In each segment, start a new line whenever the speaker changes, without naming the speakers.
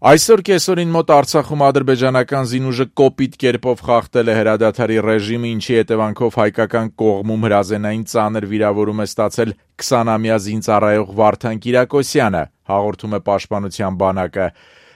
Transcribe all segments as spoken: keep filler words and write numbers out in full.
Այսօր կեսօրին մոտ Արցախում ադրբեջանական զինուժը կոպիտ կերպով խախտել է հրադադարի ռեժիմը, ինչի հետևանքով հայկական կողմում հրազենային ծանր վիրավորում է ստացել քսանամյա զինծառայող Վարդան Կիրակոսյանը, հաղորդում է Պաշտպանության բանակը։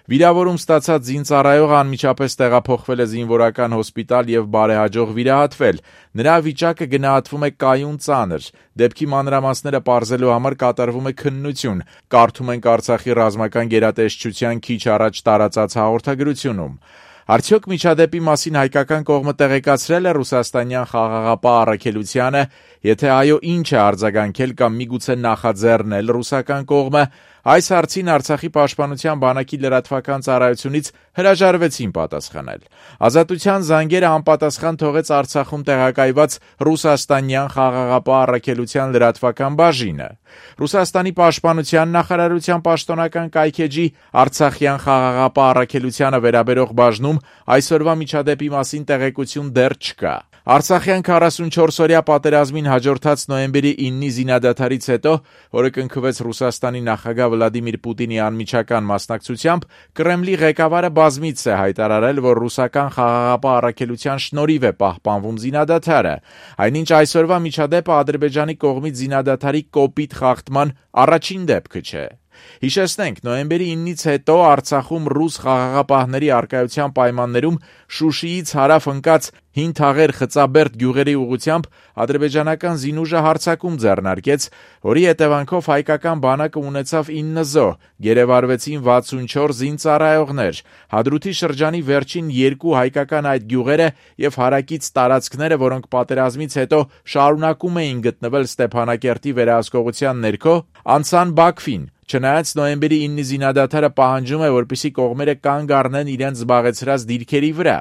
Վիրավորում ստացած զինծառայողը անմիջապես տեղափոխվել է զինվորական հոսպիտալ եւ բարեհաջող վիրահատվել։ Նրա վիճակը գնահատվում է կայուն ծանր։ Դեպքի մանրամասները պարզելու համար կատարվում է քննություն։ Կարդում ենք Արցախի ռազմական գերատեսչության քիչ առաջ տարածած հաղորդագրությունում։ Արդյոք միջադեպի մասին հայկական կողմը տեղեկացրել է ռուսաստանյան խաղաղապահ առաքելությանը, եթե այո, ինչ է արձագանքել կամ միգուցե նախաձեռնել ռուսական կողմը, այս հարցին Արցախի պաշտպանության բանակի լրատվական ծառայությունից հրաժարվեցին պատասխանել։ Ազատության զանգերը անպատասխան թողեց Արցախում տեղակայված ռուսաստանյան խաղաղապահ առաքելության լրատվական բաժինը։ Ռուսաստանի պաշտպանության նախարարության պաշտոնական կայքէջի Արցախյան խաղաղապահ առաքելությանը վերաբերող բաժնում այսօրվա միջադեպի մասին տեղեկություն դեռ չկա։ Արցախյան քառասունչորսօրյա պատերազմին հաջորդած նոյեմբերի իննի զինադադարից հետո, որը կնքվեց Ռուսաստանի նախագահ Վլադիմիր Պուտինի անմիջական մասնակցությամբ, Կրեմլի ղեկավարը բազմիցս է հայտարարել, որ ռուսական խաղաղապահ առաքելության շնորհիվ է պահպանվում զինադադարը, այնինչ այսօրվա միջադեպը Ադրբեջանի կողմից զինադադարի կոպիտ խախտման առաջին դեպքը չէ։ Հիշեցնենք, նոյեմբերի իննից հետո Արցախում ռուս խաղաղապահների առկայության պայմաններում Շուշիից հարավ ընկած Հին Թաղեր Խծաբերդ գյուղերի ուղղությամբ ադրբեջանական զինուժը հարձակում ձեռնարկեց, որի հետևանքով հայկական բանակը ունեցավ ինը զոհ, գերեվարվեցին վաթսունչորս զինծառայողներ։ Հադրութի շրջանի վերջին երկու հայկական այդ գյուղերը եւ հարակից տարածքները, որոնք պատերազմից հետո շարունակում էին գտնվել Ստեփանակերտի վերահսկողության ներքո, անցան Բաքվին։ Չնայած նոյեմբերի իննի զինադադարը պահանջում է, որպեսզի կողմերը կանգ առնեն իրենց զբաղեցրած դիրքերի վրա։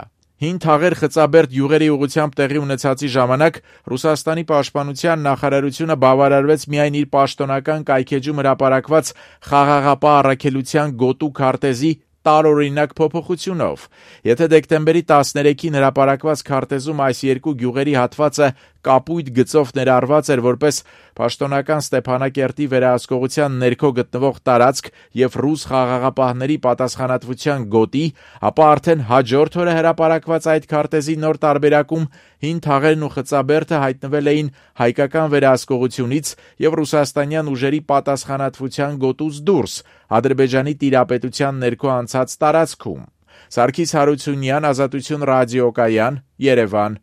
Հին Թաղեր Խծաբերդ գյուղերի ուղղությամբ տեղի ունեցածի ժամանակ Ռուսաստանի պաշտպանության նախարարությունը բավարարվեց միայն իր պաշտոնական կայքէջում հրապարակված խաղաղապահ առաքելության գոտու քարտեզի տարօրինակ փոփոխությունով։ Եթե դեկտեմբերի տասներեքին հրապարակված քարտեզում այս երկու գյուղերի հատվածը կապույտ գծով ներառված էր որպես պաշտոնական Ստեփանակերտի վերահսկողության ներքո գտնվող տարածք եւ ռուս խաղաղապահների պատասխանատվության գոտի, ապա արդեն հաջորդ օրը հրապարակված այդ քարտեզի նոր տարբերակում Հին Թաղերն ու Խծաբերդը հայտնվել էին հայկական վերահսկողությունից եւ ռուսաստանյան ուժերի պատասխանատվության գոտուց դուրս, Ադրբեջանի տիրապետության ներքո անցած տարածքում։ Սարգիս Հարությունյան, Ազատություն ռադիոկայան, Երևան,